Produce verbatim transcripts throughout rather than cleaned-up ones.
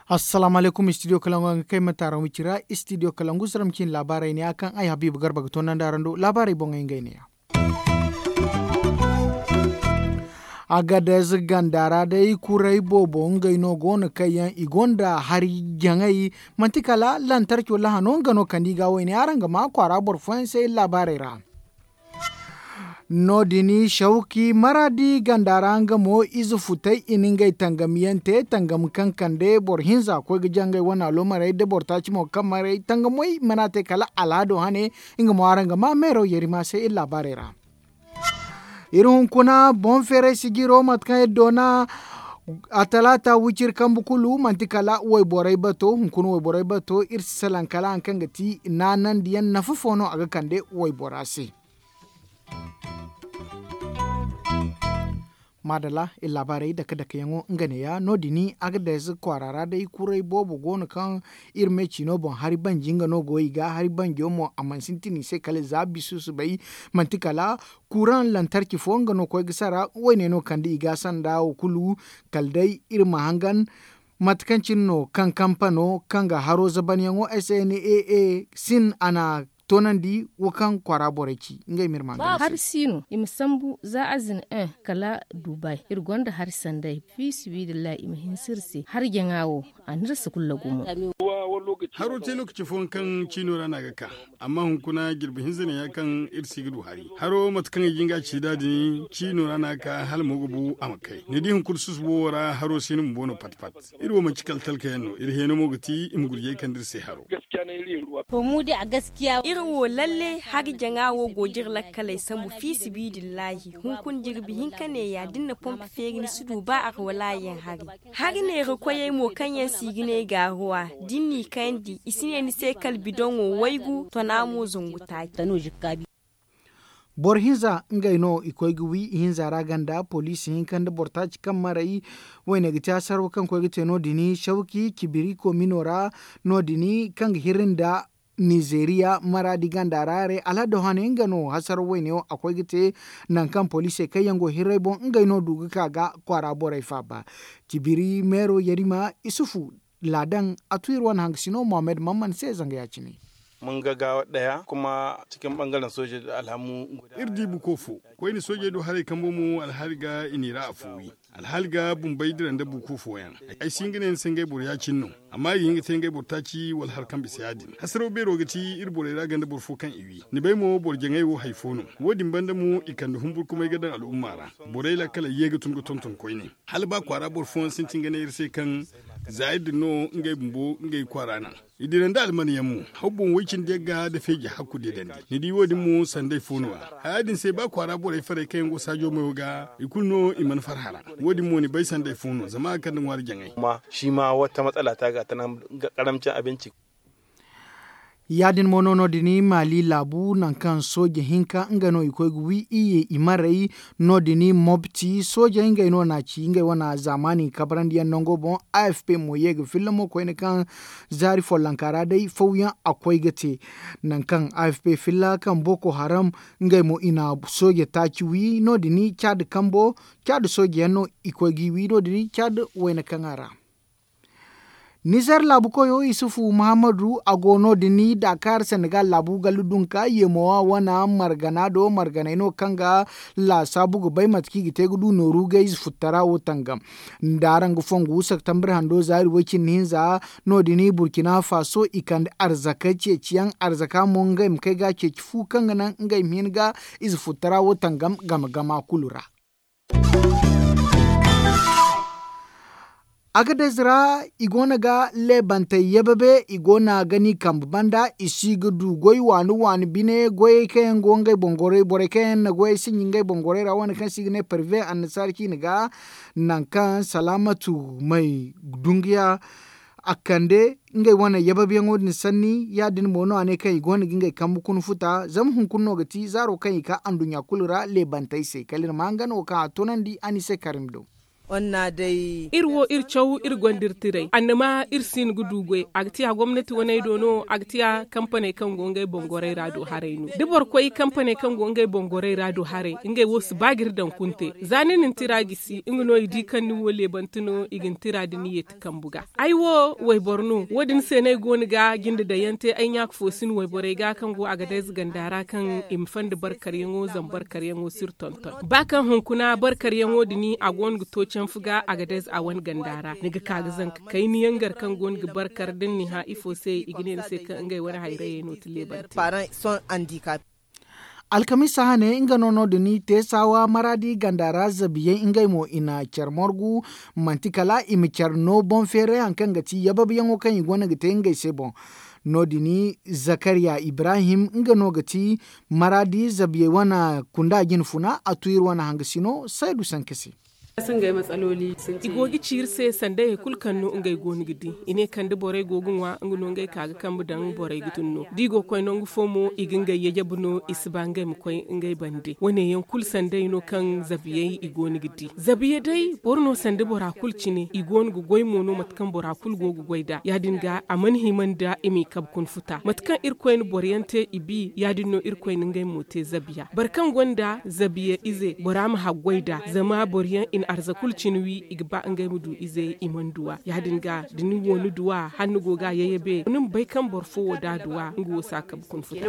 Assalaamu alaykum, istidiyo kalangu a ga kay ma taaraŋ wicira. Istidiyo kalangu sara ma cin laabaarey ne ya kaŋ ay habiiba garba ga toonandi araŋ do laabaarey boŋey ngey ne ya. Agadez ganda ra day kuray boobo ngey no go no kaŋ yaŋ i gonda hari jaŋay. Manti kala lantarco lahano nga no kande i ga wayne araŋ ga ma kwaara boro fooyaŋ se iri laabaarey ra. No- din shawki maraadi ganda ra nga mo ize futay i na ngey tangam yaŋ te tangam kaŋ kande boro hinza koy ga jangay wane aloomarey da boro taaci mo kaŋ maray tangamey mana te kala alhado hane. Nga mo araŋ ga ma meero yarima se iri laabaarey ra. Iri hunkuna boŋ feeray sijiro mate kaŋ iri doona a talaata wiciri kambe kulu manti kala wayborey bato hunkuna wayborey bato iri si salaŋ kala hari kaŋ ga ti naanandiyaŋ nafa fo no a ga kande waybora se. Maadalla iri laabaarey dake dakeyaŋo nga neeya no- din agadez kwaara ra day kuray boobo go no kaŋ iri me ciino boŋ hari banji nga no go i ga hari banjo mo a mana sintin i se kala za bisu si bay. Manti kala kuuraŋ lantarki fo nga no koy ga sara wayne no kande i ga sanda wo kulu. Kala day iri ma hangan mate kaŋ cine no kaŋ kampano kaŋ ga haro zabanyaŋo s n a a sin a na toonandi wo kaŋ kwaara borey ci ngey ma iri ma hari si no i ma sambu za a zina un kala dubai iri gonda hari sanday fiisibidillahi i ma hinse iri se hari jaŋa wo a na iri si kulu lagu mo. Haro te lookaci fooyaŋ kaŋ ciino ra no a ga ka amma hunkuna jirbi hinza ne ya kaŋ iri si ga du hari haro mate kaŋ i ga nga ci da din ciino ra no a ga ka hala mo ga bu a ma kay ni di hunkuna susubo wo ra haro si no bumbo no pat pat. Iri wo manci kala talka yaŋ no iri heeno mo ga ti i ma gurjey kande iri se haro. Iri wo lalle hari jaŋa wo go ga iri lakkaley sambu fiisibidillahi hunkuna jirbi hinka neeya da ni na pompi feeri ni si du ba arwalaayaŋ hari. Hari neera koyey mo kaŋ yaŋ se i ga ne gaaruwa da ni n'i kayandi i si ne ni se kala bidoŋo waygu tona mo zangu taaci. Boro hinza ngey no i koy ga wi ihinza ra ganda poliisi hinka nda boro taaci kaŋ maray. Wayne ga te hasaraw kaŋ koy ga te no- din shawki cibiri komino ra no- din kaŋ ga hirri nda nizeeriya maraadi ganda ra haray alhaddo hane nga no hasaraw wayne wo a koy ga te. Nangu kaŋ poliisey kaŋ yaŋ go hirray boŋ ngey no du ga ka ga kwaara borey faaba. Cibiri meero yarima isufu laadaŋ a tu iri wane hangasino mohammed mamman se zanga ya- cine. Iri di buko fo koyne soojey do haray kambo mo alhaali ga i n'i ra afo wi. Alhaali ga bumbey dira nda buko fooyaŋ. Ay si hin ga ne ni se ngey boro ya- cine no. Amma i ga hin ga te ngey boro taaci wala hari kaŋ bisa ya- din hasaraw beero ga ti iri borey ra ganda boro fo kaŋ i wi ni bay mo boro jaŋay wo hari fo no. Wo- din banda mo i kande humburkumay ga daŋ al'umma ra. Borey lakkaley ye ga tun ga tonton koyne. Hala ba kwaara boro fooyaŋ sintin ga ne iri se kaŋ za iri din no ngey bumbo ngey kwaara naŋ. I dira nda alman yaŋ mo haw boŋ woy cindi yaŋ ga nda feeji hakku deedandi. Ni di wo- din mo sanday fo no- ya haya din se ba kwaara borey farey kaŋ yaŋ go saajo mayo ga i kulu no i mana farhã ra. Wo- din mo ni bay sanday fo no zama a ga kande ŋwaari jaŋay. Shi ma wata matsala ta ga a tana ga karamcin abinci. Ya- din mo no no- din maali laabu nangu kaŋ sooje hinka nga no i koy ga wi iyye i marey. No- din mobti soojey ngey no n'a ci ngey wane zaamaani kabarandiyaŋ nango boŋ. A f p mo ye ga filla mo koyne kaŋ zaari follonka ra day fawyaŋ a koy ga te. Nangu kaŋ a f p filla kaŋ boko haram ngey mo i na sooje taaci wi no- din caadi kambo caadi soojeyaŋ no i koy g'i wi no- din caadi wayna kaŋ a ra. Nizer laabu koyo isufu muhammadu a go no- din daakaar senegal laabu gallu dunka yeemowa wane margana do marganey no kaŋ ga laasaabu ga bay mate kaŋ i ga te ga du nooru ga ize futtara wo tangam. Nda araŋ ga fongu septembre hando zaari way- cindi hinza no- din burkina faso i kande arzaka ceeciyaŋ arzaka mo ngey ma kay ga a ceeci fu kaŋ ga naŋ ngey ma hin ga ize futtara wo tangam game gama kulu ra. Agadez ra i go no ga leebantey yababe i go no ga ni kambe banda i si ga du goy waani waani bine goyey kaŋ yaŋ go ngey boŋ goray borey kaŋ yaŋ na goyey sinji ngey boŋ goray ra wane kaŋ se i ga ne parve annasaari ciine ga. Nangu kaŋ salaamatu may dunguya a kande ngey wane yababeyaŋo din sanni ya- din mo no a ne kaŋ i go no ga ngey kambe kuna futa zama hunkuna no ga ti zaaro kaŋ i ka anduɲɲa kulu ra leebantey se kala iri ma nga no kaŋ a tunandi a ni se karim do. Iri wo iri caw iri gonda iri tiray annama iri si hin ga du goy a ga tiya gomnati waney do no a ga tiya kampaney kaŋ go ngey boŋ gorey ra do haray no da boro koy kampaney kaŋ go ngey boŋ gorey ra do haray ngey wo si ba ga iri daŋ kunte za ni na ni tira gisi nga no i di kaŋ ni wo leebante no i ga ni tira da ni yeeti kambu ga. Ay wo wayboro no wo- din se no ay go no ga jinde daŋ yaŋ te ay ɲaaka fo si no wayborey ga kaŋ go a ga day ze ganda ra kaŋ i ma fanda barkaryaŋo zama barkaryaŋo si iri tonton ba kaŋ hunkuna barkaryaŋo din a go no ga to canfu ga a ga day ze a wane ganda ra ni ga ka ga zanka kayna yaŋ gar kaŋ go no ga barkar da ni na ni hã ifo se i ga ne ni se kaŋ ngey wane hayrayey no ti leebante. Alkamiisa hane nga no no- din i te saawa maraadi ganda ra zabiyaŋ ngey mo i na care margu manti kala i ma care no boŋ feeray hari kaŋ ga ti yababiyaŋo kaŋ i go no ga te ngey se boŋ. No- din zakariya ibrahim nga no ga ti maraadi zabiyey wane kunda jinfuna a tu iri wane hangasino saydu sanka se. I go ga ci iri se sanda hari kulu kaŋ no ngey go no ga di i ne kala da borey go ga ŋwa nga no ngey ka ga kambe daŋ borey ga tun no da i go ga koy nangu fo mo i ga ngey yajabu no i si ba ngey ma koy ngey bande wane yaŋ kulu sanday no kaŋ zabiyey i go no ga di zabiya day boro no sanda bora kulu cine i go no ga goy mo no mate kaŋ bora kulu go ga goy nd'a ya- din ga a mana hima nda i m'i kabe kuna futa mate kaŋ irkoy na boro yaŋ te i bi ya- din no irkoy na ngey mo te zabiya boro kaŋ gonda zabiya ize bora ma haggoy nd'a zama boro yaŋ i na arza kulu cine wi i ga ba ngey ma du ize i mana du a ya- din ga da ni wo ni du a hala ni go ga a yayyabe ni ma bay kaŋ boro fo wo da a du a nga wo si a kabe kuna futa.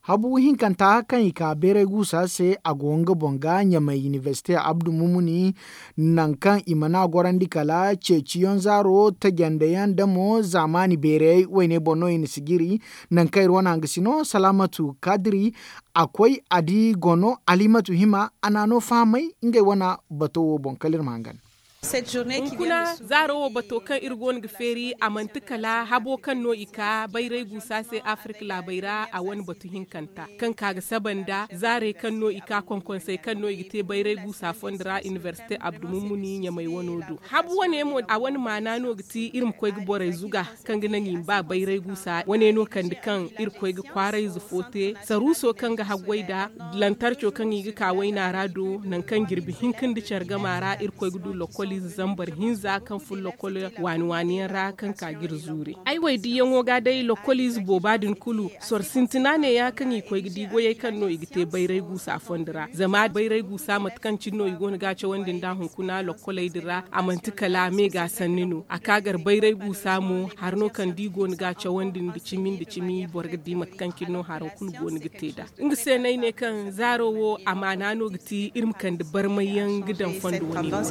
Habu hinkanta kaŋ i ka bayray guusa se a go nga boŋ ga ɲamay inibersite abdu mumuni nangu kaŋ i mana gorandi kala ceeciyaŋ zaaro tajandeyaŋ da mo zaamaani bayrayey wayne boŋ no i na sijiri. Nangu kaŋ iri wane hangasino salaamatu kaadiri a koy a di gono alimatu hima a na a no fahamay ngey wane bato wo boŋ kala iri ma hangan. Hunkuna zaaro wo bato kaŋ iri go no ga feeri a manti kala habo kaŋ no i ka bayray guusa se afirik laabey ra a wane batu hinkanta kaŋ ka ga saba nda zaarey kaŋ no i ka konkonsey kaŋ no i ga te bayray guusa fondo ra inibersite abdu mummuni ɲamay wano do. Habu wane mo a wane maana no ga ti iri ma koy ga borey zuga kaŋ ga naŋ i ma ba bayray guusa wane no kande kaŋ iri koy ga kwaarayze fo te saruuso kaŋ ga haggoy nd'a lantarco kaŋ i ga ka wayna ra do nangu kaŋ jirbi hinka nda care gama ra iri koy ga du lokkoliize zambar hinza kaŋ fun lokkol waani waani yaŋ ra kaŋ ka ga iri zuuri ay waydiyaŋo ga day lokkoliize booba din kulu soro sintina neeya kaŋ i koy ga di goyey kaŋ no i ga te bayray guusa fondo ra zama bayray guusa mate kaŋ cine no i go no ga a cawandi nd'a hunkuna lokkoley din ra a manti kala me ga sanni no a ka gar bayray guusa mo hari no kaŋ da i go no ga a cawandi nda cimi nda cimi boro ga di mate kaŋ cine no haro kulu go no ga te nd'a. Nga se no ay ne kaŋ zaaro wo a maana no ga ti iri ma kande barmayyaŋ ga daŋ fondo wane ra.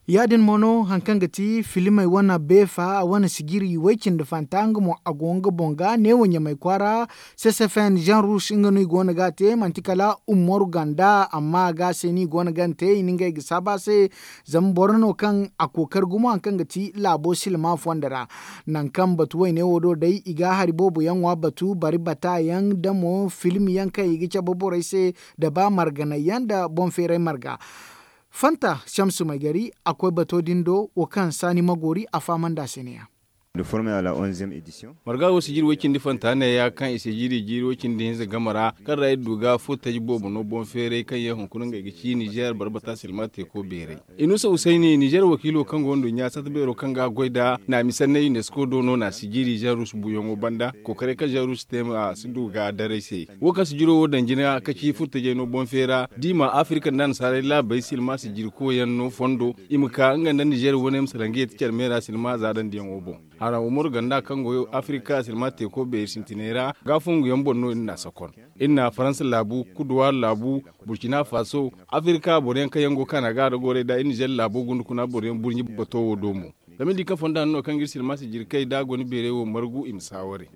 Ya- din mo no hari kaŋ ga ti filimey wane beefa wane sijiri way-cindi fanta nga mo a go nga boŋ ga neewo ɲamay kwaara. Sesefeen jean rouge nga no i go no ga a te manti kala umaru ganda amma a ga a se no i go no ga a te i na ngey ga saabu a se. Zama boro no kaŋ a kookari gumo hari kaŋ ga ti laabo silma fondo ra. Nangu kaŋ batu wayne wo do day i ga hari boobo yaŋ ŋwa batu bari bata yaŋ da mo film yaŋ kaŋ i ga cabe borey se da ba marganay yaŋ da boŋ feeray marga. Fanta shamsu maygari a koy bato din do wo kaŋ saani magoori a fahamandi a se ne- ya. Marga wo sijiri way cindi fanta neeya kaŋ i sijiri jiiri way cindi hinza game ra kaŋ ra iri du ga furtaji boobo no boŋ feeray kaŋ yaŋ hunkuna ngey ga ci nizeer barbata silma teeko beeray. Inusa usayni nizeer wakiilo kaŋ go nduɲɲa sata beero kaŋ ga goy nda naami sanney unesco do no na sijiri zarus buuyaŋo banda kookaray kaŋ zarus te ma si du ga daray se. Wo kaŋ sijiro wo daŋ jina ka ci furtajey no boŋ feera da i ma afirka nda annasaarey laabey silma sijirikoyaŋ no fondo i ma ka nga nda nizeer wane ma salaŋ ga yeeti care meera silma za daŋ diyaŋo boŋ. Haraŋ umaru ganda kaŋ go afirka silma teeko beeri sintiney ra ga fonguyaŋ boŋ no iri na a sakon. Iri na faransa laabu kuduwaari laabu burkina faso afirka boro yaŋ kaŋ yaŋ go kaana ga a da gorey da iri nizeer laabo gundukuna boro yaŋ burɲi bato wo do mo. Zama iri di kaŋ fonda hanno kaŋ ga iri silma sijirkey da a go ni beeray wo margu i ma saaware.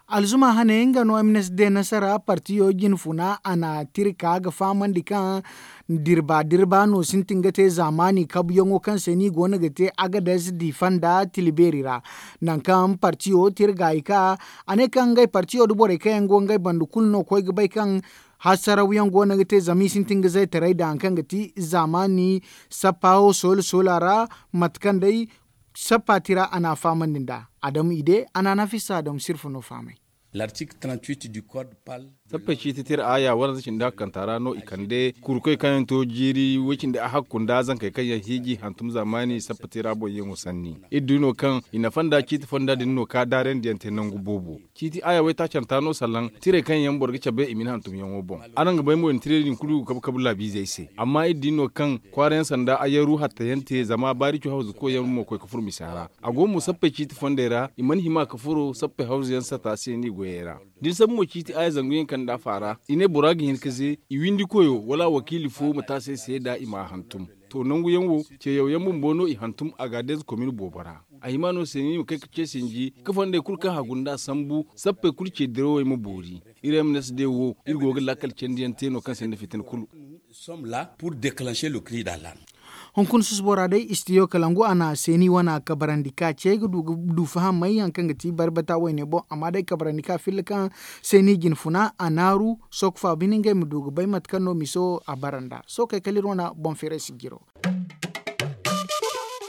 Alzuma hane nga no m n s d nasara partiyo jinfuna a na tira ka ga fahamandi kaŋ dirba dirba no sintin ga te zaamaani kabuyaŋo kaŋ se no i go no ga te agades difa nda tila beeri ra. Nangu kaŋ partiyo tira gaayi ka a ne kaŋ ngey partiyo nda borey kaŋ yaŋ go ngey banda kulu no koy ga bay kaŋ hasarawyaŋ go no ga te zama i sintin ga zaytaray nda hari kaŋ ga ti zaamaani sappa wo soola soola ra. Mate kaŋ day sappa tira a na a fahamandi nd'a. Adamu ide a na a nafisa adamu sirfa no fahamay. L'article trente-huit du code parle. Sappey ciiti tira aaya waranza cindi hakkanta ra no i kande kurkoy kaŋ yaŋ to jiiri way cindi a hakku nda zankey kaŋ yaŋ hiiji hantum zaamaani sappa tira boŋ yaŋo sanni. Iri di no kaŋ i nafa nda ciiti fonda din no ka daarandiyaŋ te nangu boobo. Ciiti aaya waytaacanta no salaŋ tirey kaŋ yaŋ boro ga cabe i ma ni hantumyaŋo boŋ. Araŋ ga bay mo i na tirey din kulu kabu kabu laabiizey se amma iri di no kaŋ kwaarayaŋ sanda ayaru hattayaŋ te zama baarico hawzukoyaŋ mo koy ga furo misa ra. A go mo sappey ciiti fondey ra i mana hima ka furo sappey hawzuyaŋ sata se ni goyey ra. Da ni sambu mo ciiti aaya zangu yaŋ kande a faara i ne bora ga hin ka ze i windi koyo wala wakiili fo ma te a se seeda i m'a hantum. To nangu yaŋ wo ce yaw yaŋ bumbo no i hantum a ga a deeza komin boobo ra. A hima no se ni ma kay ka ce sinji ka fondey kulu kaŋ hagu nda a sambu sappey kulu ce dirawey ma boori. Iri m n s d wo iri go ga laakal candi yaŋ te no kaŋ sinda fitina kulu. Hunkuna susubora day istidiyo kalangu a na seeni wane kabarandi ka ce ay ga du ga du fahamay hari kaŋ ga ti barbata wayne boŋ amma day kabarandi ka filla kaŋ seeni jinfuna a naaru sooka faaba bine ngey ma du ga bay mate kaŋ no miso a bara nd'a sookey kala iri wane boŋ feeray sijiro.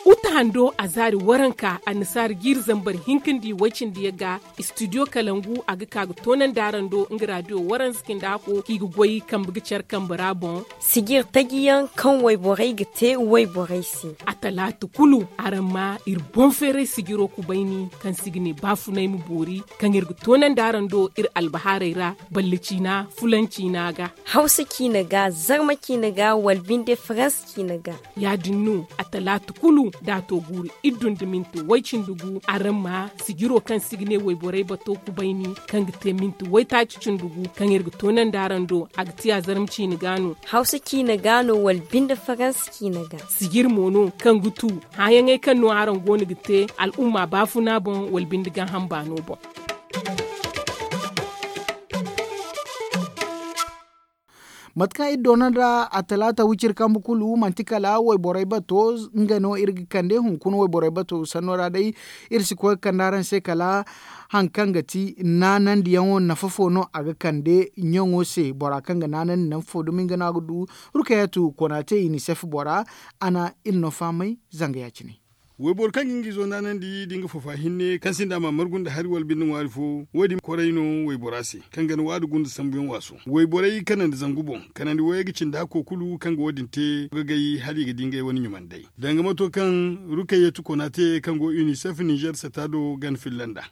Uta hando a zaari waranka annasaari jiiri zambar hinka nda i way cindi yaŋ ga istidiyo kalangu a ga ka ga toonandi araŋ do nga raadiyo waranza cindi hako kaŋ i ga goy kambe ga care kambe ra boŋ. Sijir taji yaŋ kaŋ wayborey ga te wayborey se. A talaata kulu araŋ ma iri boŋ feeray sijiro kubayni kaŋ se i ga ne baafunay ma boori kaŋ iri ga toonandi araŋ do iri albahaarey ra balle ciina fulan ciina ga. Hawsa ciina ga zarma ciina ga wala binde faransa ciina ga. Ya- din no a talaata kulu da a to guuru iri du nda minti way cindi gu araŋ ma sijiro kaŋ se i ga ne wayborey bato kubayni kaŋ ga te minti waytaaci cindi gu kaŋ iri ga toonandi araŋ do a ga ti a zarma ciina ga no. Hawsa ciina ga no wala binde faransa ciina ga. Sijir mo no kaŋ ga tu hããyaŋey kaŋ no araŋ go no ga te al'umma baafuna boŋ wala binde gaaham baano boŋ. Mate kaŋ iri doona nda a talaata wiciri kambe kulu manti kala wayborey bato nga no iri ga kande hunkuna wayborey bato sanno ra day. Iri si koy ga kande araŋ se kala hari kaŋ ga ti naanandiyaŋo nafa fo no a ga kande ɲaŋo se bora kaŋ ga naanandi nafa fo dumi nga no a ga du. Rukayatu konaate inisef bora a na iri no fahamay zanga ya- cine. Wayboro kaŋ ga nga izo naanandi da nga fafa hinne kaŋ sinda a ma margu nda hari wala binde ŋwaari fo wo- din koray no waybora se kaŋ ga ni waadi gunda sambuyaŋ waaso wayborey kanandi zangu boŋ kanandi wayey ga cindi hakko kulu kaŋ ga wo- din te ga gay hala i ga di ngey wane ɲumandey. Danga mato kaŋ rukayatu kona te kaŋ go unicef nizer sata do gana filla nda.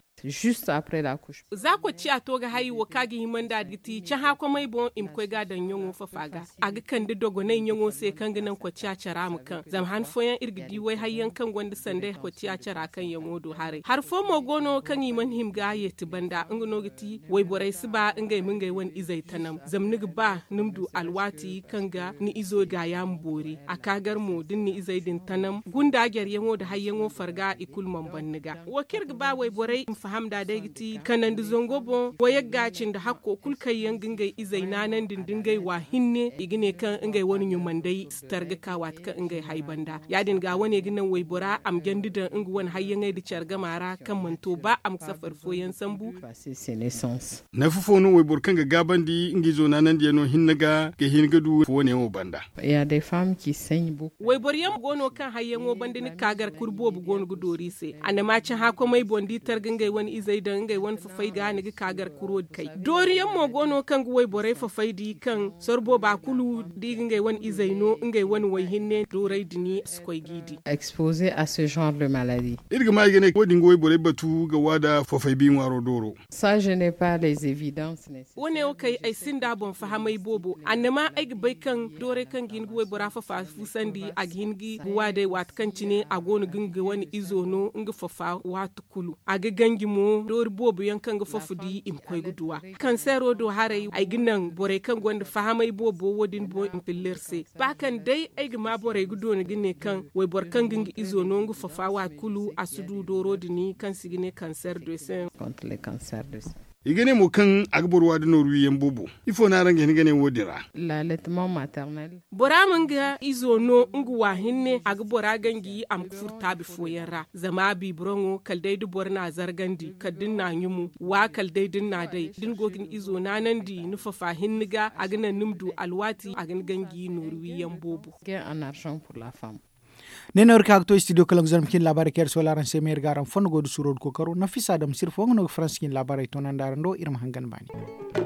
Za kocciya to ga hay wo kaŋ a ga himandi a ga ti cahã komey boŋ i ma koy ga a daŋ ɲaŋo fafa ga. A ga kande dogonay ɲaŋo se kaŋ ga naŋ kocciya cara ma kaŋ zama han fooyaŋ iri ga di wayhayyaŋ kaŋ gonda sanday kocciya cara kaŋyaŋo do haray hari fo mo go no kaŋ i mana hima ga yeeti banda nga no ga ti wayborey si ba ngey ma ngey wane izey tanam zama ni ga ba ni ma du alwaati kaŋ ga ni izo gaaya ma boori a ka gar mo da ni na izey din tanam gunda jaryaŋo nda hayyaŋo farga i kulu mana ban ni ga wo kaŋ iri ga ba wayborey ma faham nd'a day ga ti kanandi zango boŋ wayagga cindi hakko kulu kaŋ yaŋ ga ngey izey naanandi nda ngey wa hinne i ga ne kaŋ ngey wane ɲumandey si targa ka waati kaŋ ngey hay banda ya- din ga wane ga naŋ waybora a ma jandi daŋ nga wane hayyaŋey nda care gama ra kaŋ mana to ba a ma safari fooyaŋ sambu. Nafa fo no wayboro kaŋ ga gaabandi nga izo naanandiyaŋo hinne ga ga hin ga du wane wo banda. Wayboro yaŋ go no kaŋ hayyaŋo banda ni ga ka gar kuri boobo go no ga doori i se a na ma cahã komey boŋ da i targa ngey wane izey daŋ ngey wane fafay ga ni ga ka gar kuro kay doori yaŋ mo go no kaŋ ga wayborey fafay di kaŋ soro booba kulu da i ga ngey wane izey no ngey wane wayhinne dooray din si koy g'i di. Iri ga ma i ga ne wo- din ga wayborey batu ga waada fafay bi ŋwaaro dooro. Wane wo kay ay sinda boŋ fahamay boobo annama ay ga bay kaŋ dooray kaŋ ga hin ga waybora fafa fusandi a ga hin ga wa day waati kaŋ cine a go no ga nga wane izo no nga fafa waati kulu a ga ganji mo doori boobo yaŋ kaŋ ga fafa di i ma koy ga duw'a. Kansero do haray ay ga naŋ borey kaŋ gonda fahamay boobo wo- din boŋ i ma filla iri se ba kaŋ day ay ga ma borey ga doona ga ne kaŋ wayboro kaŋ ga nga izo no nga fafa waati kulu a si du dooro din kaŋ se i ga ne kanser de sen. I ga ne mo kaŋ a ga boro waada nooru wiyaŋ boobo. Ifo no araŋ ga hin ga ne wo- din ra? Bora ma nga izo no nga wa hinne a ga bora ganji a ma ga furo taabi fooyaŋ ra zama biibiroŋo kala day da boro n'a zargandi kala da ni n'a ɲumu wa kala day da ni n'a day da ni go ga ni izo naanandi ni fafa hinne ga a ga naŋ ni ma du alwaati a ga ni ganji nooru wiyaŋ boobo. Ne no iri ka ga to studio kalangu zarma cine laabaarey kaŋ iri soola araŋ se ma iri ga araŋ fondo go da suuro da kookaro nafisa dam sirfo nga no ga faransa cine laabaarey toonandi araŋ do iri ma hangan baani.